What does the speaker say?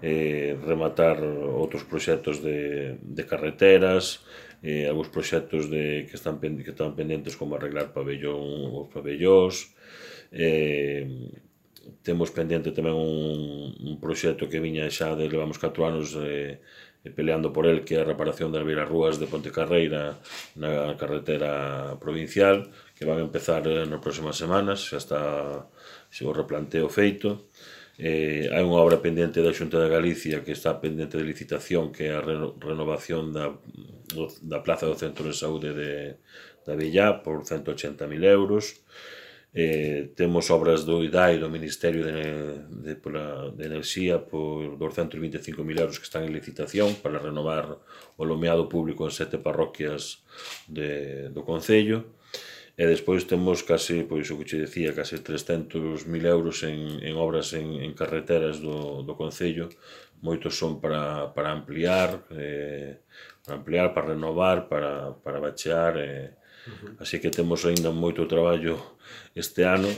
rematar outros proxectos de carreteras, algúns proxectos que están pendentes como arreglar os pabellóns. Temos pendente tamén un proxecto que viña xa levamos 4 anos peleando por el, que é a reparación das beirarrúas de Pontecarreira na carretera provincial, que van a empezar nas próximas semanas, xa está o replanteo feito. Hai unha obra pendente da Xunta de Galicia que está pendente de licitación, que é a renovación da plaza do Centro de Saúde de Avellá por 180.000 euros. Temos obras do IDAI, do Ministerio de Enerxía, por 225.000 euros que están en licitación para renovar o lomeado público en 7 parroquias do Concello. E despois temos case, pois o que che decía, case 300.000 euros en obras en carreteras do Concello. Moitos son para ampliar, para renovar, para bachear. Así que temos aínda moito traballo este ano